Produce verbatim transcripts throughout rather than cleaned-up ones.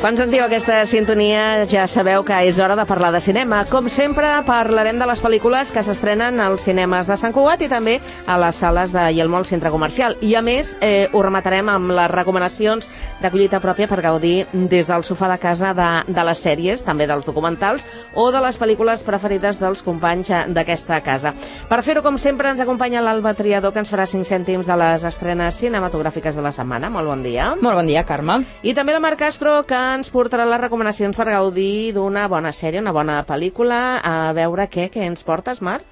Quan sentiu aquesta sintonia ja sabeu que és hora de parlar de cinema. Com sempre, parlarem de les pel·lícules que s'estrenen als cinemes de Sant Cugat i també a les sales de Yelmo al centre comercial. I a més, eh, ho rematarem amb les recomanacions de collita pròpia per gaudir des del sofà de casa de, de les sèries, també dels documentals o de les pel·lícules preferides dels companys d'aquesta casa. Per fer-ho, com sempre, ens acompanya l'Alba Triador, que ens farà cinc cèntims de les estrenes cinematogràfiques de la setmana. Molt bon dia. Molt bon dia, Carme. I també la Marc Castro, que ens portarà les recomanacions per gaudir d'una bona sèrie, una bona pel·lícula. A veure què, què ens portes, Marc?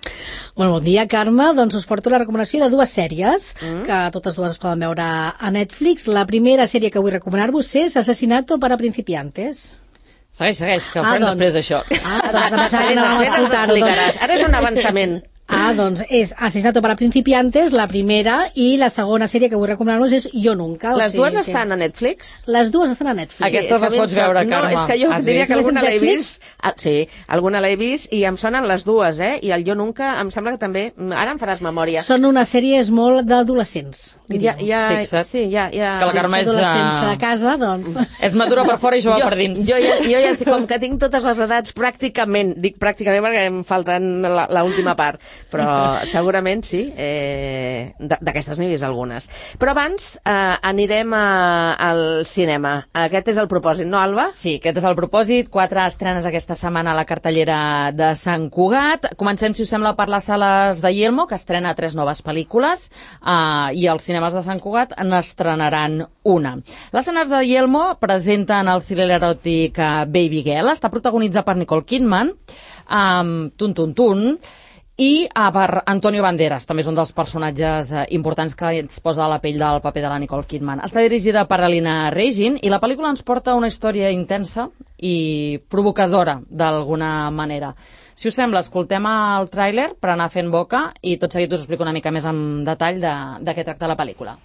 Molt bon dia, Carme. Doncs us porto la recomanació de dues sèries, mm. que totes dues es poden veure a Netflix. La primera sèrie que vull recomanar-vos és Asesinato para principiantes. Segueix, segueix, que ho ah, farem doncs, després d'això. Ah, doncs em pensava que no vam escoltar-ho. Doncs... Ara és un avançament. Ah, doncs és Asesinato para principiantes, la primera, i la segona sèrie que vull recomanar-vos és Yo Nunca. Les o sigui dues que... estan a Netflix? Les dues estan a Netflix. Aquestes sí, les pots veure, Carme. No, és que jo Has diria vist? que alguna l'he vist. Ah, sí, alguna l'he vist i em sonen les dues, eh? I el Yo Nunca em sembla que també... Ara em faràs memòria. Són unes sèries molt d'adolescents, ja, ja, Fixa't. Sí, ja, ja... És que la Carme és... Adolescents a casa, doncs... És madura per fora i jove jo, per dins. Jo ja, jo ja, com que tinc totes les edats pràcticament, dic pràcticament perquè em falten l'última part, però segurament sí, eh, d'aquestes n'he vist algunes. Però abans eh, anirem a, al cinema. Aquest és el propòsit, no, Alba? Sí, aquest és el propòsit. Quatre estrenes aquesta setmana a la cartellera de Sant Cugat. Comencem, si us sembla, per les sales de Yelmo, que estrena tres noves pel·lícules, eh, i els cinemes de Sant Cugat n'estrenaran una. Les sales de Yelmo presenten el thriller eròtic Baby Girl. Està protagonitzat per Nicole Kidman, amb Tun Tun Tun, i ah, per Antonio Banderas, també és un dels personatges eh, importants que ens posa a la pell del paper de la Nicole Kidman. Està dirigida per Alina Regin i la pel·lícula ens porta una història intensa i provocadora d'alguna manera. Si us sembla, escoltem el tràiler per anar fent boca i tot seguit us explico una mica més en detall de, de què tracta la pel·lícula.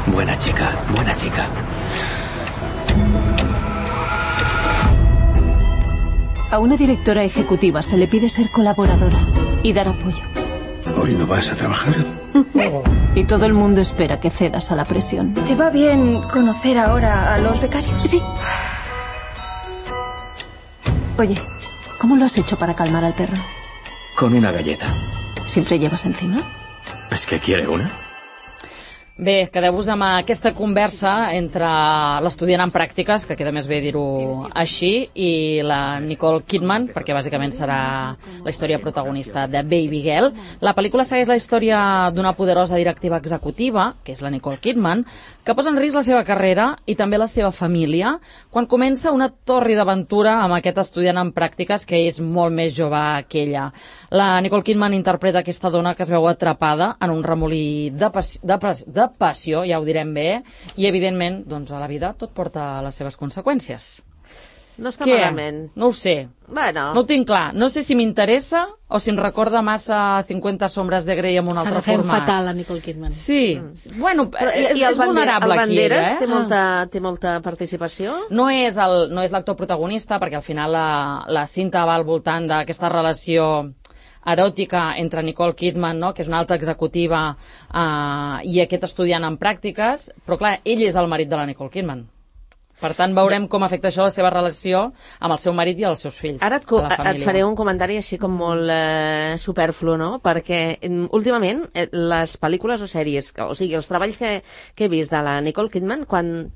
Buena chica, buena chica. A una directora ejecutiva se le pide ser colaboradora y dar apoyo. ¿Hoy no vas a trabajar? Y todo el mundo espera que cedas a la presión. ¿Te va bien conocer ahora a los becarios? Sí. Oye, ¿cómo lo has hecho para calmar al perro? Con una galleta. ¿Siempre llevas encima? ¿Es que quiere una? Bé, quedeu-vos amb aquesta conversa entre l'estudiant en pràctiques, que queda més bé dir-ho així, i la Nicole Kidman, perquè bàsicament serà la història protagonista de Baby Girl. La pel·lícula segueix la història d'una poderosa directiva executiva, que és la Nicole Kidman, que posa en risc la seva carrera i també la seva família, quan comença una torri d'aventura amb aquest estudiant en pràctiques que és molt més jove que ella. La Nicole Kidman interpreta aquesta dona que es veu atrapada en un remolí de, passió, de, de passió, ja ho direm bé, i evidentment, doncs, a la vida tot porta les seves conseqüències. No està Què? malament. No ho sé. Bueno. No ho tinc clar. No sé si m'interessa o si em recorda massa cinquanta sombres de Grey amb un altre Agafem format. fatal la Nicole Kidman. Sí. Mm. Bueno, Però, és, i el és vulnerable el aquí, Banderas eh? té molta, té molta participació? No és el- no és l'actor protagonista, perquè al final la, la cinta va al voltant d'aquesta relació eròtica entre Nicole Kidman, no?, que és una alta executiva, eh, i aquest estudiant en pràctiques, però clar, ell és el marit de la Nicole Kidman. Per tant, veurem com afecta això la seva relació amb el seu marit i els seus fills. Ara et, de la et família. faré un comentari així com molt eh, superflu, no? Perquè mm, últimament eh, les pel·lícules o sèries, o sigui, els treballs que, que he vist de la Nicole Kidman, quan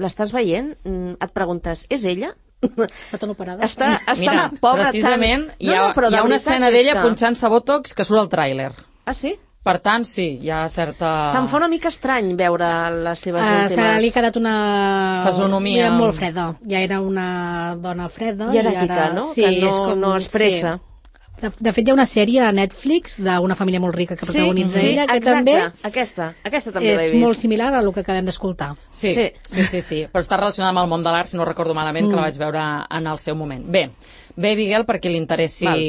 l'estàs veient, mm, et preguntes, és ella? Està tan operada. Està, està Mira, la pobra precisament tan... hi ha, però hi de ha una veritat escena és d'ella que- punxant-se botox que surt al tràiler. Ah, sí? Per tant, sí, hi ha certa... Se'm fa una mica estrany veure les seves Uh, últimes... se li ha quedat una... Fesonomia. Ja molt freda. Ja era una dona freda. Hieràtica, i ara... no? Sí, Que no- és com... no expressa. Sí. De, de fet, hi ha una sèrie a Netflix d'una família molt rica que protagonitza sí, ella, que exacte. també Aquesta, aquesta també l'he és vist. molt similar a el que acabem d'escoltar. Sí, Sí. sí, sí, sí, sí, però està relacionada amb el món de l'art, si no recordo malament, que Mm. la vaig veure en el seu moment. Bé, Bé, Miguel, per qui li interessi Val.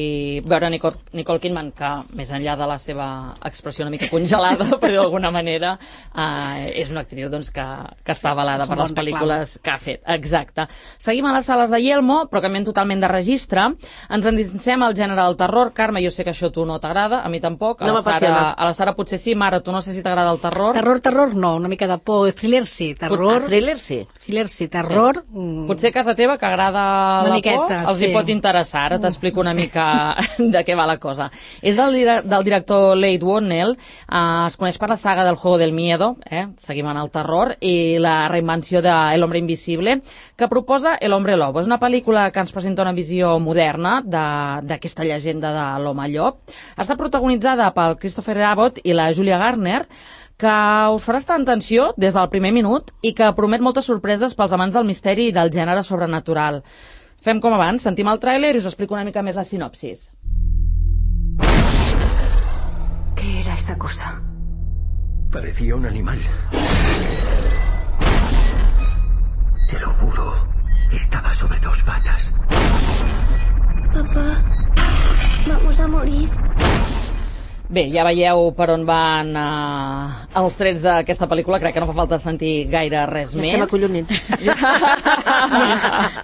veure Nicole, Nicole Kidman, que més enllà de la seva expressió una mica congelada, per dir d'alguna manera, eh, és una actriu doncs, que, que està avalada és un per les bon pel·lícules que ha fet. Exacte. Seguim a les sales de Yelmo, però canviem totalment de registre. Ens endinsem al gènere del terror. Carme, jo sé que això a tu no t'agrada, a mi tampoc. A No la Sara, m'apassiona. a la Sara potser sí. Mara, tu no sé si t'agrada el terror. Terror, terror, no, una mica de por. Thriller sí, terror... Ah, thriller sí. Thriller sí, terror... mm, Potser a casa teva, que agrada Una la miqueta, por, els hi sí. pot interessar. Ara t'explico una mica de què va la cosa. És del, dire- del director Leigh Whannell, eh, es coneix per la saga del Juego del Miedo, eh? Seguim en el terror, i la reinvenció de El Hombre Invisible, que proposa El Hombre Lobo. És una pel·lícula que ens presenta una visió moderna de- d'aquesta llegenda de l'home llop. Està protagonitzada pel Christopher Abbott i la Julia Garner, que us farà estar en tensió des del primer minut i que promet moltes sorpreses pels amants del misteri i del gènere sobrenatural. Fem com abans, sentim el tràiler i us explico una mica més la sinopsis. ¿Qué era esa cosa? Parecía un animal. Te lo juro. Estaba sobre dos patas. Papá, vamos a morir. Bé, ja veieu per on van uh, els trets d'aquesta pel·lícula. Crec que no fa falta sentir gaire res Ja més. estem acollonits.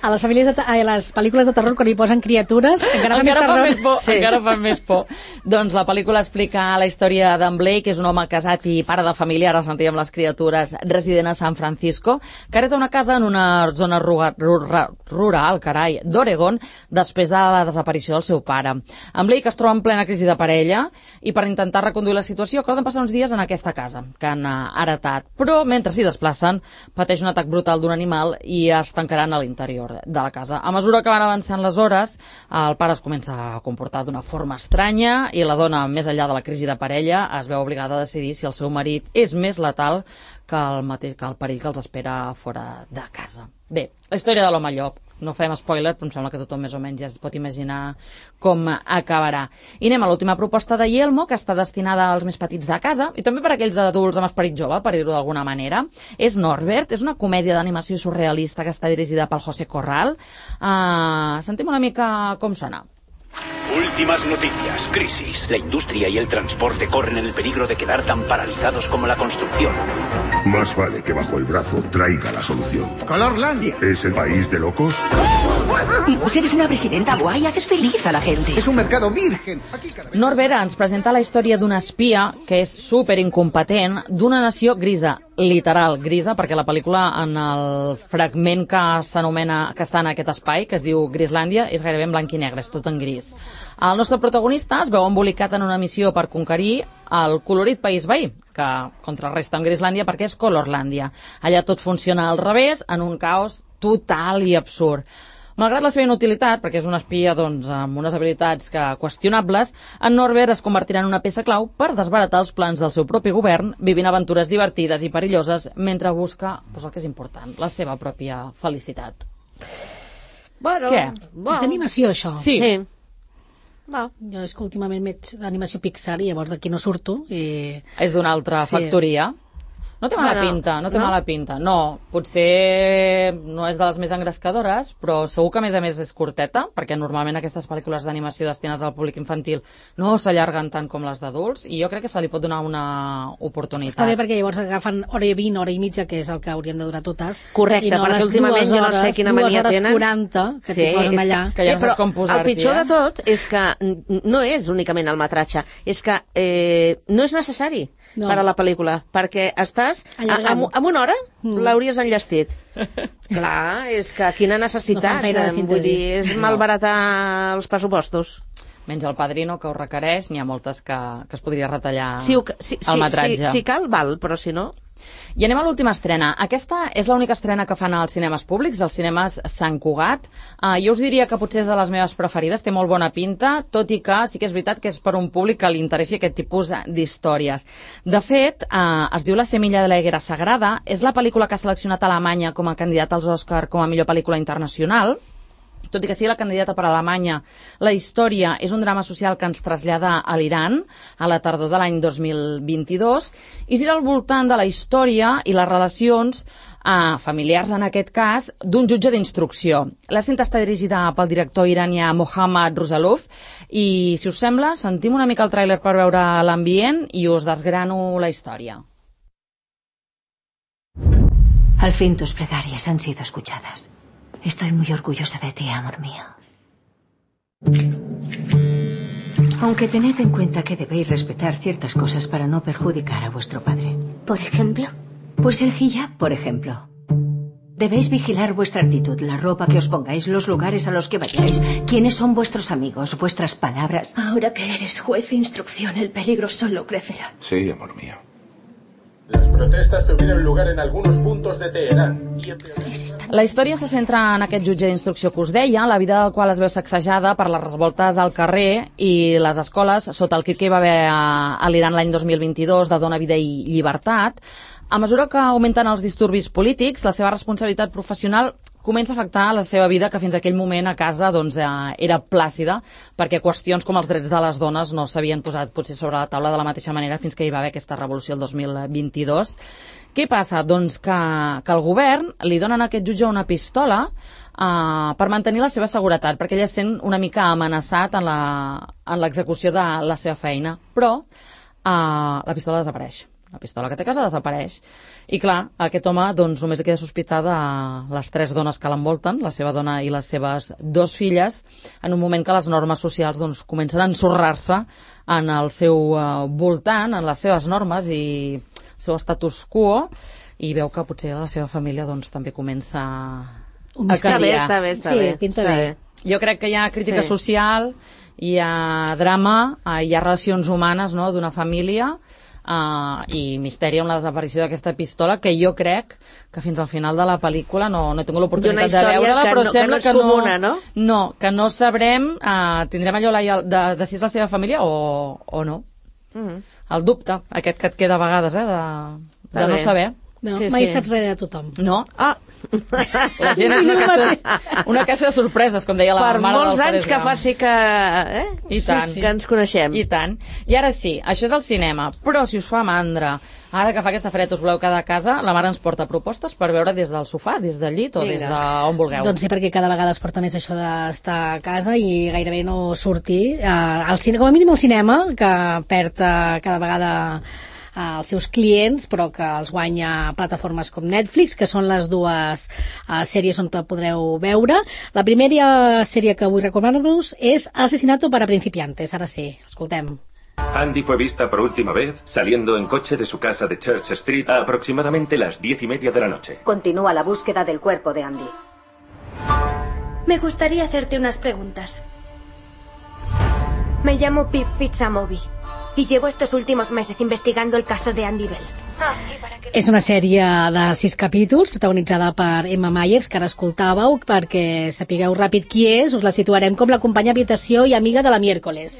A les, famílies de, te- a les pel·lícules de terror, quan hi posen criatures, encara fa més encara fa terror. més por, Sí. encara fa més por. Doncs la pel·lícula explica la història d'en Blake, que és un home casat i pare de família, ara sentíem les criatures, resident a San Francisco, que hereta una casa en una zona ruga, rural, rural carai, d'Oregon, després de la desaparició del seu pare. En Blake es troba en plena crisi de parella i per intentar reconduir la situació acorden passar uns dies en aquesta casa que han uh, heretat, però mentre s'hi desplacen pateix un atac brutal d'un animal i es tancaran a l'interior de la casa. A mesura que van avançant les hores, el pare es comença a comportar d'una forma estranya i la dona, més enllà de la crisi de parella, es veu obligada a decidir si el seu marit és més letal que el, mateix, que el perill que els espera fora de casa. Bé, la història de l'home llop. No fem spoiler, però em sembla que tothom més o menys ja es pot imaginar com acabarà. I anem a l'última proposta de Yelmo, que està destinada als més petits de casa, i també per a aquells adults amb esperit jove, per dir-ho d'alguna manera. És Norbert, és una comèdia d'animació surrealista que està dirigida pel José Corral. Uh, sentim una mica com sona. Últimas noticias. Crisis. La industria y el transporte corren el peligro de quedar tan paralizados como la construcción. Más vale que bajo el brazo traiga la solución. Colorlandia. ¿Es el país de locos? Pues eres una presidenta guay, haces feliz a la gente. Es un mercado virgen. Aquí cada vez... Norbert ens presenta la història d'un espia que és super incompetent d'una nació grisa, literal grisa, perquè la pel·lícula en el fragment que s'anomena, que està en aquest espai, que es diu Grislàndia, és gairebé en blanc i negre, és tot en gris. El nostre protagonista es veu embolicat en una missió per conquerir el colorit país veí, que contrarresta amb Grislàndia perquè és Colorlàndia. Allà tot funciona al revés, en un caos total i absurd. Malgrat la seva inutilitat, perquè és un espia doncs, amb unes habilitats que qüestionables, en Norbert es convertirà en una peça clau per desbaratar els plans del seu propi govern, vivint aventures divertides i perilloses mentre busca doncs, el que és important, la seva pròpia felicitat. Bueno, Què? Bon. És d'animació, això. Sí. Sí. Va. Jo és que últimament veig d'animació Pixar i llavors d'aquí no surto. I... És d'una altra Sí. factoria. No té mala Bueno, pinta, no té no? mala pinta. No, potser no és de les més engrescadores, però segur que a més a més és curteta, perquè normalment aquestes pel·lícules d'animació destinades al públic infantil no s'allarguen tant com les d'adults, i jo crec que se li pot donar una oportunitat. Està bé perquè llavors agafen hora i vint, hora i mitja, que és el que haurien de durar totes. Correcte, i no perquè les últimament dues jo no sé hores, quina dues mania hores tenen. quaranta que t'hi posen és allà. que ja no però saps com posar-t'hi, el pitjor eh? de tot és que n- no és únicament el metratge, és que eh, no és necessari No. per a la pel·lícula, perquè estàs a, Allargant. amb, amb una hora Mm. l'hauries enllestit. Clar, és que quina No necessitat, fan gaire eh, vull síntesi. dir, és malbaratar els pressupostos. Menys el Padrino, que ho requereix, n'hi ha moltes que, que es podria retallar Si, ho, si, el si, metratge. si, si cal, val, però si no... I anem a l'última estrena. Aquesta és l'única estrena que fan als cinemes públics, als cinemes Sant Cugat. Uh, jo us diria que potser és de les meves preferides, té molt bona pinta, tot i que sí que és veritat que és per un públic que li interessi aquest tipus d'històries. De fet, uh, es diu La semilla de la higuera sagrada, és la pel·lícula que ha seleccionat Alemanya com a candidat als Òscar com a millor pel·lícula internacional, Tot i que sigui la candidata per a Alemanya, la història és un drama social que ens trasllada a l'Iran a la tardor de l'any dos mil vint-i-dos i gira al voltant de la història i les relacions eh, familiars, en aquest cas, d'un jutge d'instrucció. La cinta està dirigida pel director iranià Mohammad Rosalov i, si us sembla, sentim una mica el tràiler per veure l'ambient i us desgrano la història. Al fin tus plegarias han sido escuchadas. Estoy muy orgullosa de ti, amor mío. Aunque tened en cuenta que debéis respetar ciertas cosas para no perjudicar a vuestro padre. ¿Por ejemplo? Pues el hijab, por ejemplo. Debéis vigilar vuestra actitud, la ropa que os pongáis, los lugares a los que vayáis, quiénes son vuestros amigos, vuestras palabras. Ahora que eres juez de instrucción, el peligro solo crecerá. Sí, amor mío. Las protestas tuvieron lugar en algunos puntos de Teherán. La història se centra en aquest jutge d'instrucció que us deia, la vida del qual es veu sacsejada per les revoltes al carrer i les escoles sota el que hi va haver a, a l'Iran l'any dos mil vint-i-dos de Dona, Vida i Llibertat. A mesura que augmenten els disturbis polítics, la seva responsabilitat professional comença a afectar la seva vida, que fins aquell moment a casa doncs, eh, era plàcida, perquè qüestions com els drets de les dones no s'havien posat potser sobre la taula de la mateixa manera fins que hi va haver aquesta revolució el dos mil vint-i-dos. Què passa? Doncs que, que el govern li donen a aquest jutge una pistola eh, per mantenir la seva seguretat, perquè ell es sent una mica amenaçat en l'execució de la seva feina. Però eh, la pistola desapareix. La pistola que té a casa desapareix. I clar, aquest home doncs, només queda sospitar de les tres dones que l'envolten, la seva dona i les seves dos filles, en un moment que les normes socials doncs, comencen a ensorrar-se en el seu uh, voltant, en les seves normes i el seu status quo, i veu que potser la seva família doncs, també comença a canviar. Està bé, està bé. Sí, pinta bé. Jo crec que hi ha crítica Sí. social, hi ha drama, hi ha relacions humanes, no?, d'una família, Uh, i misteri amb la desaparició d'aquesta pistola, que jo crec que fins al final de la pel·lícula no, no he tingut l'oportunitat de veure-la, però no, sembla que no és comuna, no? no, que no sabrem, uh, tindrem allò la, de, de si és la seva família o, o no. Mm-hmm. El dubte, aquest que et queda a vegades, eh, de, de no saber. No, Sí, mai sí. saps res de tothom. No? Ah, La gent és una caixa, una caixa de sorpreses, com deia la per mare del molts anys Forrest que Gump. faci que, eh? I tant. Sí, sí, que ens coneixem. I tant. I ara sí, això és el cinema. Però si us fa mandra, ara que fa aquesta fred us voleu quedar a casa, la mare ens porta propostes per veure des del sofà, des del llit o Vinga. des d'on vulgueu. Doncs sí, perquè cada vegada es porta més això d'estar a casa i gairebé no sortir. Uh, al cine, com a mínim al cinema, que perd uh, cada vegada als seus clients, però que els guanya plataformes com Netflix, que són les dues uh, sèries on te podreu veure. La primera sèrie que vull recomanar-vos és Asesinato para principiantes. Ara sí, escoltem. Andy fue vista por última vez saliendo en coche de su casa de Church Street a aproximadamente las diez y media de la noche. Continúa la búsqueda del cuerpo de Andy. Me gustaría hacerte unas preguntas. Me llamo Pip Fitzamobi y llevo estos últimos meses investigando el caso de Andy Bell. És una sèrie de sis capítols protagonitzada per Emma Myers, que ara escoltàveu, perquè sapigueu ràpid qui és, us la situarem com la companya habitació i amiga de la Miércoles.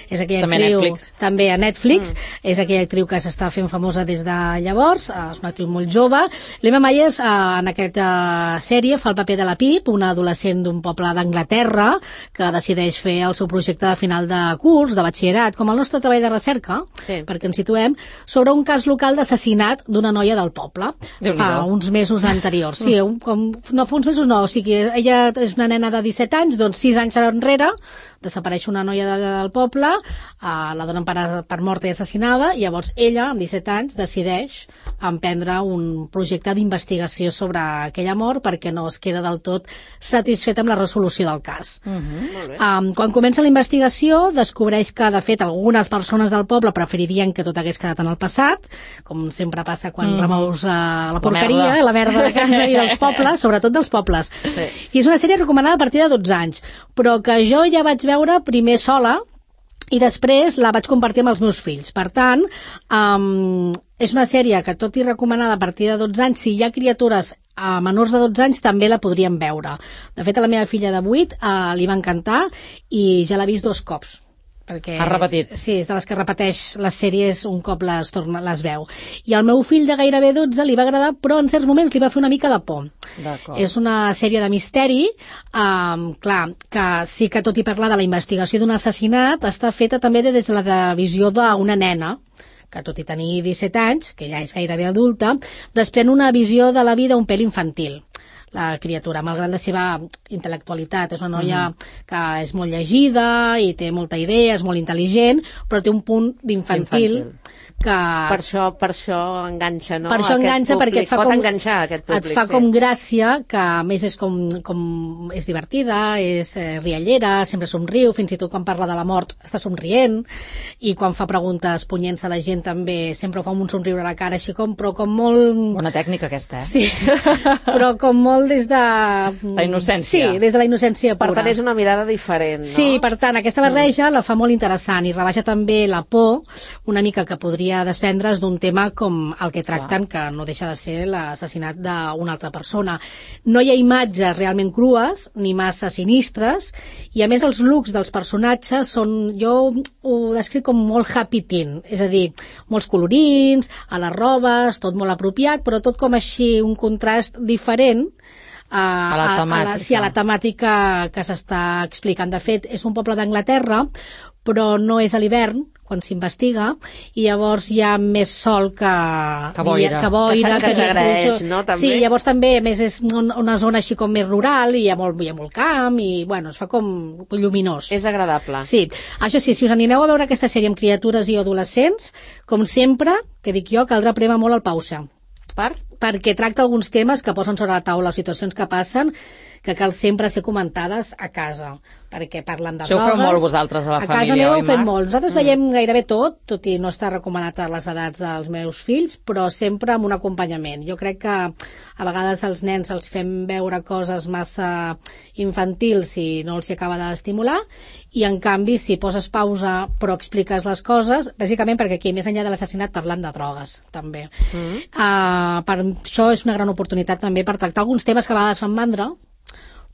És aquella també actriu, a Netflix. també a Netflix, mm. és aquella actriu que s'està fent famosa des de llavors, és una actriu molt jove. L'Emma Myers en aquesta sèrie fa el paper de la Pip, una adolescent d'un poble d'Anglaterra que decideix fer el seu projecte de final de curs, de batxillerat, com el nostre treball de recerca, Sí. perquè ens situem, sobre un cas local d'assassinat d'una noia del poble, fa uns mesos anteriors. Sí, un, com, no fa uns mesos no, o sigui, ella és una nena de disset anys, doncs sis anys enrere desapareix una noia de, del poble, uh, la donen per, per morta i assassinada, i llavors ella, amb disset anys, decideix emprendre un projecte d'investigació sobre aquella mort perquè no es queda del tot satisfeta amb la resolució del cas. Uh-huh. Um, quan comença la investigació, descobreix que, de fet, algunes persones del poble preferirien que tot hagués quedat en el passat, com sempre passa quan mm. remous uh, la porqueria, la, la merda de casa i dels pobles, sobretot dels pobles. Sí. I és una sèrie recomanada a partir de dotze anys, però que jo ja vaig veure primer sola i després la vaig compartir amb els meus fills. Per tant, um, és una sèrie que, tot i recomanada a partir de dotze anys, si hi ha criatures a menors de dotze anys també la podrien veure. De fet, a la meva filla de vuit uh, li va encantar i ja l'ha vist dos cops. perquè ha repetit. És, sí, és de les que repeteix les sèries un cop les, torna, les veu. I al meu fill de gairebé dotze li va agradar, però en certs moments li va fer una mica de por. És una sèrie de misteri, um, clar, que sí que tot i parlar de la investigació d'un assassinat, està feta també des de la visió d'una nena, que tot i tenir disset anys, que ja és gairebé adulta, desprèn una visió de la vida un pèl infantil. La criatura, malgrat la seva intel·lectualitat, és una noia mm-hmm. que és molt llegida i té molta idea, és molt intel·ligent, però té un punt d'infantil que... Per això, per això enganxa, no? Per això aquest enganxa, públic. perquè et fa Pot com... enganxar aquest públic, et fa sí. com gràcia, que a més és com... com és divertida, és eh, riallera, sempre somriu, fins i tot quan parla de la mort està somrient, i quan fa preguntes punyents a la gent també sempre ho fa amb un somriure a la cara, així com, però com molt... Bona tècnica aquesta, eh? Sí, però com molt des de... La innocència. Sí, des de la innocència pura. Per tant, és una mirada diferent, no? Sí, per tant, aquesta barreja mm. la fa molt interessant i rebaixar també la por, una mica que podria desprendre's d'un tema com el que tracten, que no deixa de ser l'assassinat d'una altra persona. No hi ha imatges realment crues, ni massa sinistres, i a més els looks dels personatges són, jo ho descric com molt happy teen, és a dir, molts colorins, a les robes, tot molt apropiat, però tot com així un contrast diferent a, a, la a, a, la, sí, a la temàtica que s'està explicant. De fet, és un poble d'Anglaterra, però no és a l'hivern, quan s'investiga, i llavors hi ha més sol que... Que boira. Que, boira, que, que s'agraeix, no? També? Sí, llavors també, a més, és una zona així com més rural, i hi ha molt, hi ha molt camp, i, bueno, es fa com lluminós. És agradable. Sí. Això sí, si us animeu a veure aquesta sèrie amb criatures i adolescents, com sempre, que dic jo, caldrà prémer molt el pausa. Per? Perquè tracta alguns temes que posen sobre la taula, situacions que passen, que cal sempre ser comentades a casa, perquè parlen de drogues. Això ho feu molt vosaltres a la a família, casa meva oi, ho fem Marc? molt. Nosaltres mm. veiem gairebé tot, tot i no està recomanat a les edats dels meus fills, però sempre amb un acompanyament. Jo crec que a vegades als nens els fem veure coses massa infantils i no els hi acaba d'estimular, i en canvi si poses pausa però expliques les coses, bàsicament perquè aquí més enllà de l'assassinat parlant de drogues també. Mm. Uh, per això és una gran oportunitat també per tractar alguns temes que a vegades fan mandra,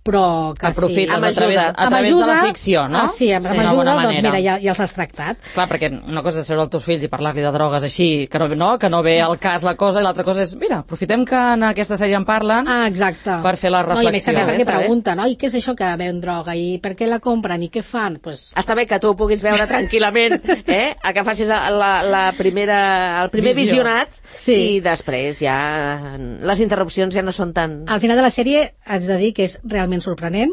però que aprofites sí. a través, a través ajuda, de la ficció, no? Ah, sí, amb, amb sí, ajuda, doncs mira, ja, ja els has tractat. Clar, perquè una cosa és seure els teus fills i parlar-li de drogues així, que no, no, que no ve al cas la cosa, i l'altra cosa és, mira, aprofitem que en aquesta sèrie en parlen ah, exacte. per fer la reflexió. No, i a més també perquè pregunten, no? I què és això que veuen droga? I per què la compren? I què fan? Pues... Està bé que tu ho puguis veure tranquil·lament, eh? A que facis la, la primera, el primer Visió. visionat, sí. I després ja les interrupcions ja no són tan... Al final de la sèrie haig de dir que és realment sorprenent,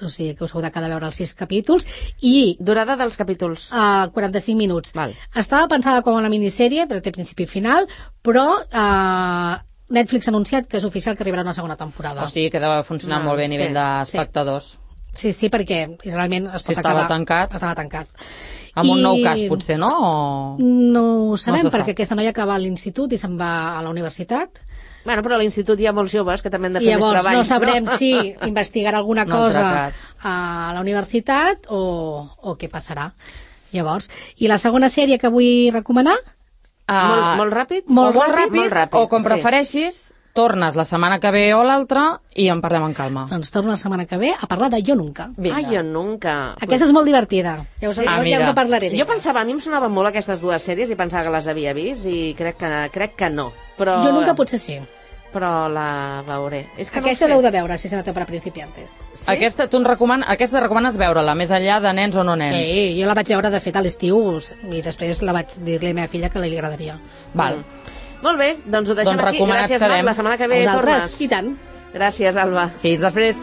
o sigui que us heu de quedar a veure els sis capítols, i... Durada dels capítols? Uh, quaranta-cinc minuts. Val. Estava pensada com una minissèrie, però té principi i final, però uh, Netflix ha anunciat que és oficial que arribarà una segona temporada. O sigui que deu funcionar no, molt bé a nivell sí, d'espectadors. Sí, sí, perquè realment es pot si estava acabar... tancat. Estava tancat. Amb un I... nou cas, potser, no? O... No ho sabem, no perquè aquesta noia acaba a l'institut i se'n va a la universitat. Bueno, però a l'institut hi ha molts joves que també han de fer I llavors, més treballs. No sabrem no? si investigarà alguna no cosa a la universitat o, o què passarà. Llavors, i la segona sèrie que vull recomanar? Uh, molt, molt ràpid? Molt, molt ràpid, molt ràpid. O com sí. prefereixis, tornes la setmana que ve o l'altra i en parlem amb calma. Doncs torno la setmana que ve a parlar de Jo Nunca. Ah, Jo Nunca. Aquesta és molt divertida. Ja us, sí. ah, ja us parlaré. Jo pensava, a mi em sonaven molt aquestes dues sèries i pensava que les havia vist i crec que, crec que no. Però... Jo Nunca potser sí. Però la veuré. És que aquesta no l'heu de veure, si se no té per a principiantes. Sí? Aquesta, tu recoman... aquesta recomanes veure-la, més enllà de nens o no nens? Sí, jo la vaig veure, de fet, a l'estiu, i després la vaig dir-li a la meva filla que li agradaria. Val. Mm. Molt bé, doncs ho deixem doncs aquí. Gràcies, Marc. La setmana que ve tornes. I tant. Gràcies, Alba. Fins després.